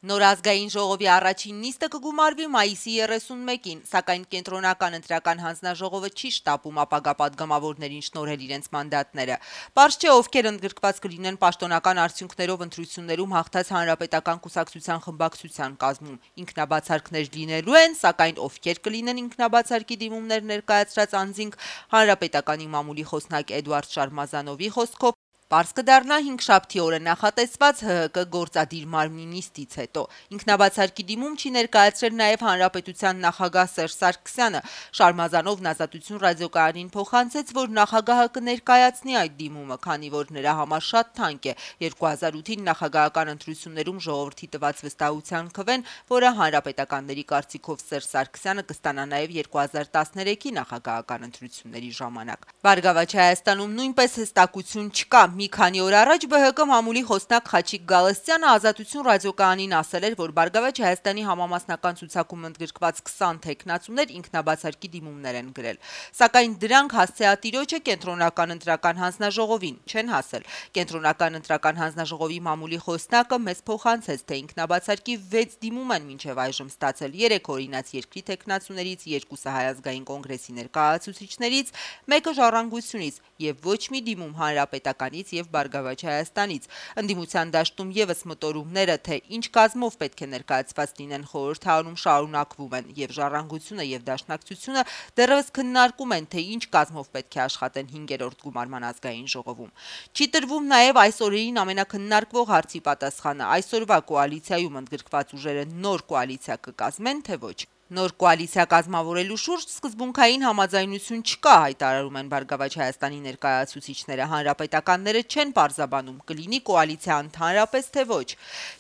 Նոր ազգային ժողովի առաջին նիստը կգումարվի մայիսի 31-ին, սակայն կենտրոնական ընտրական հանձնաժողովը չի շտապում ապագա պատգամավորներին շնորհել իրենց մանդատները։ Պարզ չէ, ովքեր ընդգրկված կլինեն պաշտոնական արդյունքներով ընտրություններում հաղթած հանրապետական կուսակցության խմբակցության կազմում։ Ինքնաբացարկներ լինելու են, սակայն ովքեր կլինեն ինքնաբացարկի դիմումներ ներկայացրած անձինք, հանրապետականի մամուլի խոսնակ Էդուարդ Շարմազանովի խոսքով պարզ կդառնա 5-շաբթի օրը նախատեսված ՀՀԿ գործադիր մարմնի նիստից հետո։ Ինքնաբացարկի դիմում չի ներկայացրել նաև հանրապետության նախագահ Սերժ Սարգսյանը։ Շարմազանովն Ազատություն ռադիոկայանին փոխանցեց, որ նախագահը կներկայացնի այդ դիմումը, քանի որ նրա համար շատ թանկ է 2008-ին նախագահական ընտրություններում ժողովրդի տված վստահության քվեն, որը հանրապետականների կարծիքով Սերժ Սարգսյանը կստանա նաև 2013-ի նախագահական ընտրությունների ժամանակ։ Բարգավաճ Հայաստանում նույնպես հստակություն չկա։ Մի քանի օր առաջ ԲՀԿ մամուլի խոսնակ Խաչիկ Գալստյանը Ազատություն ռադիոկայանին ասել էր, որ Բարգավաճ Հայաստանի համամասնական ցուցակում ընդգրկված 20 թեկնածուներ ինքնաբացարկի դիմումներ են գրել, սակայն դրանք հասցեատիրոջը կենտրոնական ընտրական հանձնաժողովին չեն հասել։ Կենտրոնական ընտրական հանձնաժողովի մամուլի խոսնակը մեզ փոխանցեց, թե ինքնաբացարկի 6 դիմում են մինչև այժմ ստացել 3 օրինաց երկրի թեկնածուներից, 2-ը Հայ ազգային կոնգրեսի ներկայացուցիչներից, 1-ը Ժառանգությունից եւ ոչ մի դիմում հանրապետականից եւ Բարգավաճ Հայաստանից։ Ընդդիմության դաշտում եւս մտորումները, թե ինչ կազմով պետք է ներկայացված լինեն խորհրդարանում, շարունակվում են եւ Ժառանգությունը եւ Դաշնակցությունը դեռևս քննարկում են, թե ինչ կազմով պետք է աշխատեն 5-րդ գումարման ազգային ժողովում։ Չի տրվում նաեւ այս օրերին ամենակննարկվող հարցի պատասխանը՝ այսօրվա կոալիցիայում ընդգրկված ուժերը նոր կոալիցիա կկազմեն, թե ոչ։ Նոր կոալիցիա կազմավորելու շուրջ սկզբունքային համաձայնություն չկա, հայտարարում են Բարգավաճ Հայաստանի ներկայացուցիչները։ Հանրապետականները չեն պարզաբանում՝ կլինի կոալիցիա ընդհանրապես, թե ոչ։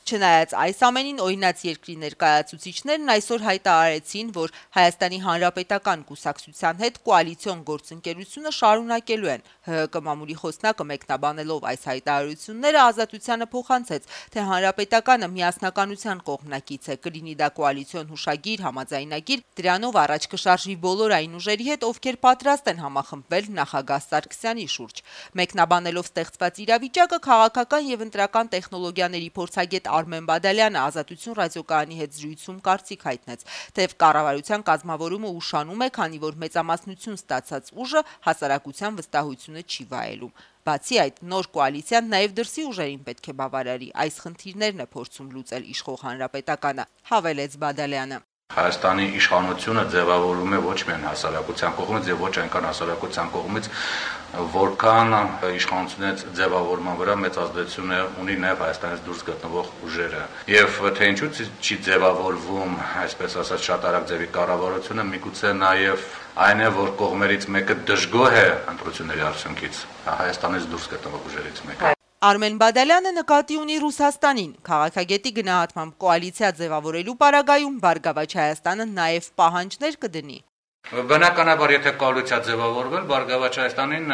Չնայած այս ամենին, օրինաց երկրի ներկայացուցիչներն այսօր հայտարարեցին, որ Հայաստանի Հանրապետական կուսակցության հետ կոալիցիոն գործընկերությունը շարունակելու են։ ՀՀԿ մամուլի խոսնակը մեկնաբանելով այս հայտարարությունները Ազատությանը փոխանցեց, թե Հանրապետականը միասնականության կողմնակից է, կլինի դա կոալիցիոն հուշագիր, համաձայնագիր, դրանով առաջ կշարժվի բոլոր այն ուժերի հետ, ովքեր պատրաստ են համախմբվել նախագահ Սարգսյանի շուրջ։ Մեկնաբանելով ստեղծված իրավիճակը, քաղաքական եւ ընտրական տեխնոլոգիաների փորձագետ Արմեն Բադալյանը Ազատություն ռադիոկայանի հետ զրույցում կարծիք հայտնեց, թեև կառավարության կազմավորումը ուշանում է, քանի որ մեծամասնություն ստացած ուժը հասարակության վստահությունը չի վայելում։ Բացի այդ, նոր կոալիցիան նաև դրսի ուժերին պետք է բավարարի, այս խնդիրներն է փորձում լուծել իշխող Հանրապետականը, հավելեց Բադալյանը։ Հայաստանի իշխանությունը ձևավորում է ոչ միայն հասարակության կողմից եւ ոչ այնքան հասարակության կողմից, որքան իշխանությունից ձևավորման վրա մեծ ազդեցություն ունի նաեւ Հայաստանից դուրս գտնվող ուժերը։ Եվ թե ինչու չի ձևավորվում, այսպես ասած, շատ արագ ձևի կառավարությունը, միգուցե նաեւ այն է, որ կողմերից մեկը դժգոհ է ընտրությունների արդյունքից, Հայաստանից դուրս գտնվող ուժերից մեկը։ Արմեն Բադալյանը նկատի ունի Ռուսաստանին։ Քաղաքագետի գնահատմամբ կոալիցիա ձևավորելու պարագայում Բարգավաճ Հայաստանը նաև պահանջներ կդնի։ Բնականաբար, եթե կոալիցիա ձևավորվել, Բարգավաճ Հայաստանին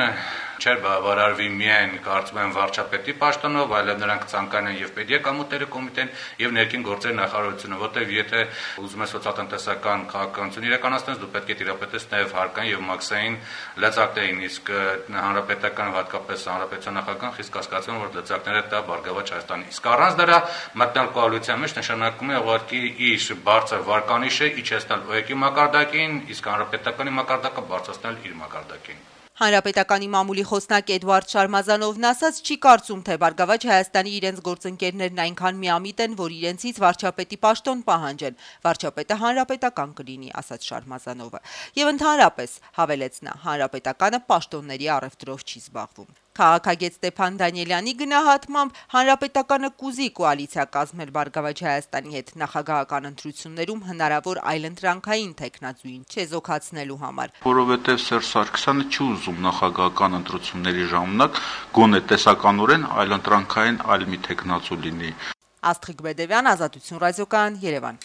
չէր բավարարվի միայն կարծում եմ վարչապետի պաշտոնով, այլև նրանք ցանկանան եւ Պետեկամուտերի կոմիտեն եւ ներքին գործերի նախարարությունը, որտեղ եթե ուզում ես սոցիալ-տնտեսական քաղաքականություն իրականացնես, դու պետք է տիրապետես նաեւ հարկային եւ մաքսային լծակներին, իսկ հանրապետական, հատկապես հանրապետության նախագահան խիստ կասկածում որ լծակները տա Բարգավաճ Հայաստանի։ Իսկ առանց դրա մտնել կոալիցիա մեջ նշանակում է ուղղակի իր բարձր վարկանիշը իջեցնել ՕԵԿ-ի մակարդակին, իսկ հանրապետականի մակարդակը բարձրացնել իր մակարդակին։ Հանրապետականի մամուլի խոսնակ Էդուարդ Շարմազանովն ասաց, չի կարծում, թե Բարգավաճ Հայաստանի իրենց գործընկերներն այնքան միամիտ են, որ իրենցից վարչապետի պաշտոն պահանջեն։ Վարչապետը հանրապետական կլինի, ասաց Շարմազանովը։ Եվ ընդհանրապես, հավելեց նա, հանրապետականը պաշտոնների առևտրով չի զբաղվում։ Քաղաքագետ Ստեփան Դանիելյանի գնահատմամբ հանրապետականը կուզի կոալիցիա կազմել Բարգավաճ Հայաստանի հետ նախագահական ընտրություններում հնարավոր այլընտրանքային տեխնացուին չեզոքացնելու համար։ Որովհետև Սերժ Սարգսյանը չի ուզում նախագահական ընտրությունների ժամանակ գոնե տեսականորեն այլընտրանքային այլ մի տեխնացու լինի։ Աստղիկ Բեդևյան, Ազատություն ռադիոկայան, Երևան։